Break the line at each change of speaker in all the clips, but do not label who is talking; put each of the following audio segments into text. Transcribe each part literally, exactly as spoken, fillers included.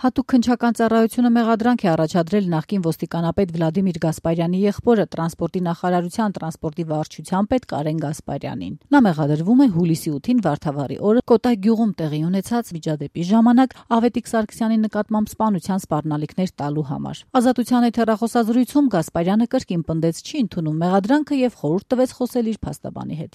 Հատուկ քննչական ծառայությունը մեղադրանք է առաջադրել նախկին ոստիկանապետ Վլադիմիր Գասպարյանի եղբորը տրանսպորտի նախարարության տրանսպորտի վարչության պետ Կարեն Գասպարյանին։ Նա մեղադրվում է հուլիսի ութին Վարդավառի օրը Կոտայ գյուղում տեղի ունեցած միջադեպի ժամանակ Ավետիք Սարգսյանի նկատմամբ սպանության սպառնալիքներ տալու համար։ Ազատության հետ հեռախոսազրույցում Գասպարյանը կրկին պնդեց չի ընդունում մեղադրանքը եւ խորհուրդ տվեց խոսել իր փաստաբանի հետ։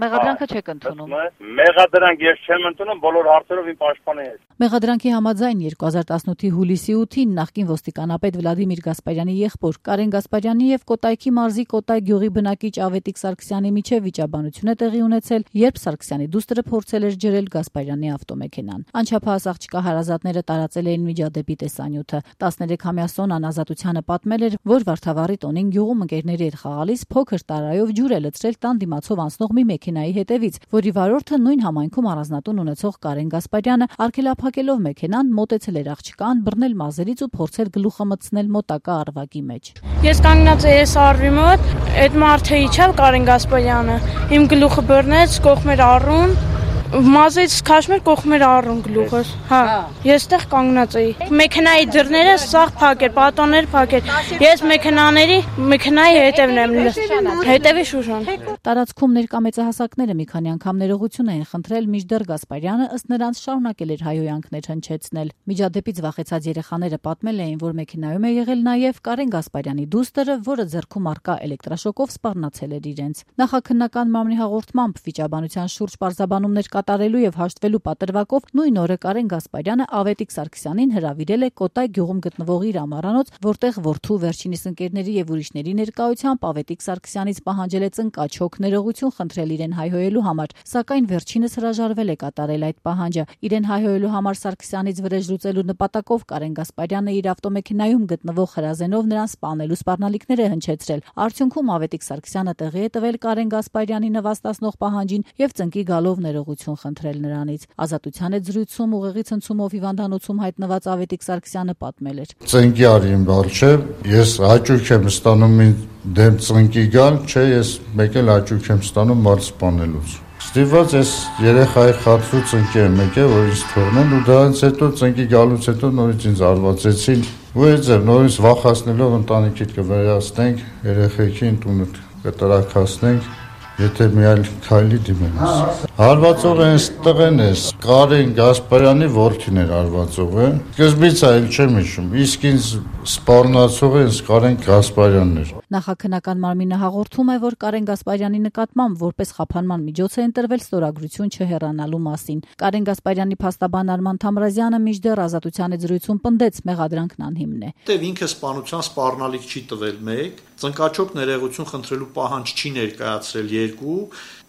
Մեղադրանքը չեք ընդունում։
Մեղադրանք ես չեմ ընդունում բոլոր հարցերով իմ պաշտպանի հետ։
Մեղադրանքի համաձայն երկու հազար տասնութի հուլիսի ութին նախկին ոստիկանապետ Վլադիմիր Գասպարյանի եղբոր Կարեն Գասպարյանի եւ Կոտայքի մարզի Կոտայ գյուղի բնակիչ Ավետիք Սարգսյանի միջև վիճաբանություն է տեղի ունեցել, երբ Սարգսյանի դուստրը փորձել էր ջրել Գասպարյանի ավտոմեքենան։ Անչափահաս աղջկա հարազատները տարածել էին միջադեպի տեսանյութը։ տասներեքամյա Սոնան Ազատությանը պատմել էր, որ Վարդավառի տոնին գյուղում ընկերների հետ խաղալիս փոքր տարայով ջուր է լցրել տան դիմացով անցնող մի մեքենայի հետևից, որի վարորդը նույն համայնքում առանձնատուն ունեցող Կարեն Գասպարյանը արգելափակելով մեքենան մոտեցել էր աղջկան, բռնել մազերից ու փորձել գլուխը մտցնել մոտակա առվակի մեջ։
Ես կանգնած էի սարվի մոտ, այդ մարդը իջավ Կարեն Գասպարյանը, իմ գլուխը բռնեց, կողմեր առուն, մազից քաշմեր կողմեր առուն գլուխս։ Հա, ես այդտեղ կանգնած էի։ Մեքենայի դռները սաղ փակ էր, պատոններ փակ էր։ Ես մեքենաների, մեքենայի հետևն եմ, հետևի շուշան։
Տարածքում ներկա մեծահասակները մի քանի անգամ ներողություն էին խնդրել, մինչդեռ Գասպարյանը ըստ նրանց շարունակել էր հայհոյանքներ հնչեցնել։ Միջադեպից վախեցած երեխաները պատմել էին, որ մեքենայում է եղել նաև Կարեն Գասպարյանի դուստրը, որը ձեռքում առկա էլեկտրաշոկով սպառնացել էր իրենց։ Նախաքննական մամլի հաղորդմամբ վիճաբանության շուրջ պարզաբանումներ կատարելու եւ հաշտվելու պատրվակով նույն օրը Կարեն Գասպարյանը Ավետիք Սարգսյանին հրավիրել է Կոտայ գյուղում գտնվող իր ամառանոց, որտեղ որդու վերջինիս ընկերների եւ ուրիշների ներկայությամբ Ավետիք Սարգսյանից պահանջել է ծնկաչոք ներողություն խնդրել իրեն հայհոյելու համար, սակայն վերջինս հրաժարվել է կատարել այդ պահանջը։ Իրեն հայհոյելու համար Սարգսյանից վրեժ լուծելու նպատակով Կարեն Գասպարյանը իր ավտոմեքենայում գտնվող հրազենով նրան սպանելու սպառնալիքներ է հնչեցրել։ Արդյունքում Ավետիք Սարգսյանը տեղի է տվել Կարեն Գասպարյանի նվաստացնող պահանջին եւ ծնկի գալով ներողություն խնդրել նրանից։ Ազատության հետ զրույցում ուղեղի ցնցումով հիվանդանոցում հայտնված Ավետիք Սարգսյանը պատմել էր.
Ծնկի արին բարձր, ես հաճույք եմ ստանում դեմ ծնկի գալ, չէ, ես մեկ էլ հաճույք եմ ստանում մարդ սպանելուց։ Ստիված ես երեխայի խաթրու ծնկի եմ եկել, որ ինձ թողնեն ու դրանից հետո ծնկի գալուց հետո նորից ինձ արվածեցին։ Ու այդ ձև նորից վախացնելով ընտանիքիդ կվերացնենք, երեխեքին տունը կտրաքացնենք, եթե մի այլ քայլի դիմենաս։ Հարվածողը հենց տղեն է, Կարեն Գասպարյանի որդին էր հարվածողը։ Սկզբից այլ չեմ հիշում, իսկ ինձ սպառնացողը հենց Կարեն Գասպարյանն էր։
Նախաքննական մարմինը հաղորդում է, որ Կարեն Գասպարյանի նկատմամբ որպես խափանման միջոց է ընտրվել ստորագրություն չհեռանալու մասին։ Կարեն Գասպարյանի փաստաբան Արման Թամրազյանը մինչդեռ Ազատության հետ զրույցում պնդեց մեղադրանքն անհիմն է։
Դե ինքը սպանության սպառնալիք չի տվել մեկ, ծնկաչոք ներողություն խնդրելու պահանջ չի ներկայացրել երկու,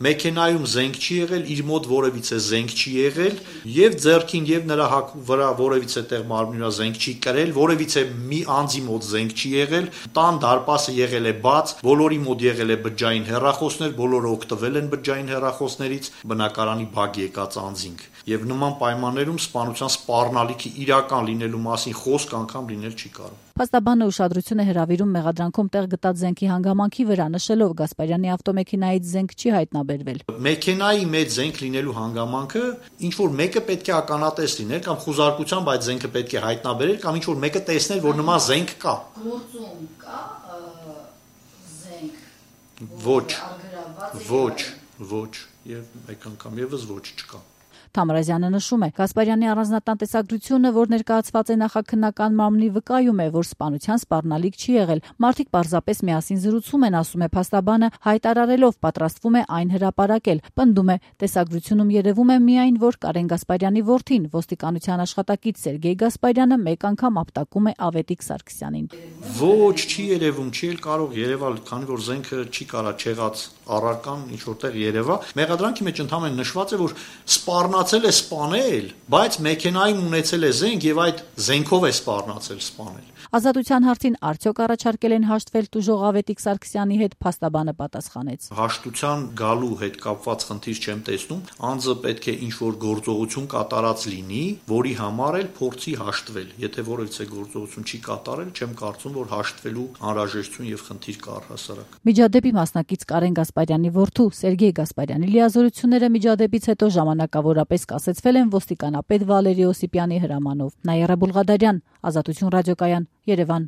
մեքենայում զենք չի եղել, իր մոտ որևիցե զենք չի եղել, եւ ձեռքին եւ նրա վրա որևիցե տեղ մարմնի վրա զենք չի կրել, որևիցե մի անձի մոտ զենք չի եղել, տան դարպասը եղել է բաց, բոլորի մոտ եղել է բջջային հեռախոսներ, բոլորը օգտվել են բջջային հեռախոսներից, բնակարանի բակ եկած անձինք։ Եվ նման պայմաններում սպանության սպառնալիքի իրական լինելու մասին խոսք անգամ լինել չի կարող։
Փաստաբանը ուշադրություն է հրավիրում մեղադրանքում տեղ գտած զենքի հանգամանքի վրա, նշելով Գասպարյանի ավտոմեքենայից զենք չի հայտնաբերվել։
Մեքենայի մեջ զենք լինելու հանգամանքը ինչ որ մեկը պետք է ականատես լիներ կամ խուզարկությամբ այդ զենքը պետք է հայտնաբերել կամ ինչ որ մեկը տեսներ, որ նման զենք կա։
Գործում կա զենք։
Ոչ, ոչ, ոչ, եւ մեկ անգամ եւս ոչ չկա։
Թամրազյանը նշում է, Գասպարյանի առանձնատան տեսագրությունը, որ ներկայացված է նախաքննական մամլի, վկայում է, որ սպանության սպառնալիք չի եղել։ Մարդիկ պարզապես միասին զրուցում են, ասում է փաստաբանը, հայտարարելով պատրաստվում է այն հրապարակել։ Պնդում է, տեսագրությունում երևում է միայն, որ Կարեն Գասպարյանի որդին, ոստիկանության աշխատակից Սերգեյ Գասպարյանը մեկ անգամ ապտակում է Ավետիք Սարգսյանին։
Ոչ, չի երևում, չի էլ կարող երևալ, քանի որ զենքը չի կարա չեղած առարկան ինչ որտեղ երևա։ Մեղադրանքի մեջ ընդհանրեն նշված է, որ սպառնացել է սպանել, բայց մեքենայում ունեցել է զենք եւ այդ զենքով է սպառնացել սպանել։
Ազատության հարցին արդյոք առաջարկել են հաշտվել տուժող Ավետիք Սարգսյանի հետ, փաստաբանը պատասխանեց։
Հաշտության գալու հետ կապված խնդիր չեմ տեսնում, անձը պետք է ինչ-որ գործողություն կատարած լինի, որի համար էլ փորձի հաշտվել։ Եթե որևիցե գործողություն չի կատարել, չեմ կարծում, որ հաշտվելու անհրաժեշտություն եւ խնդիր կա առհասարակ։
Միջադեպի մասնակից Կարեն Գասպարյանի որդու Սերգեյ Գասպարյանի լիազորությունները միջադեպից հետո ժամանակավորապես վերջապես կասեցվել են ոստիկանապետ Վալերի Օսիպյանի հրամանով։ Նաիրա Բուլղադարյան, Ազատություն ռադիոկայան, Երևան։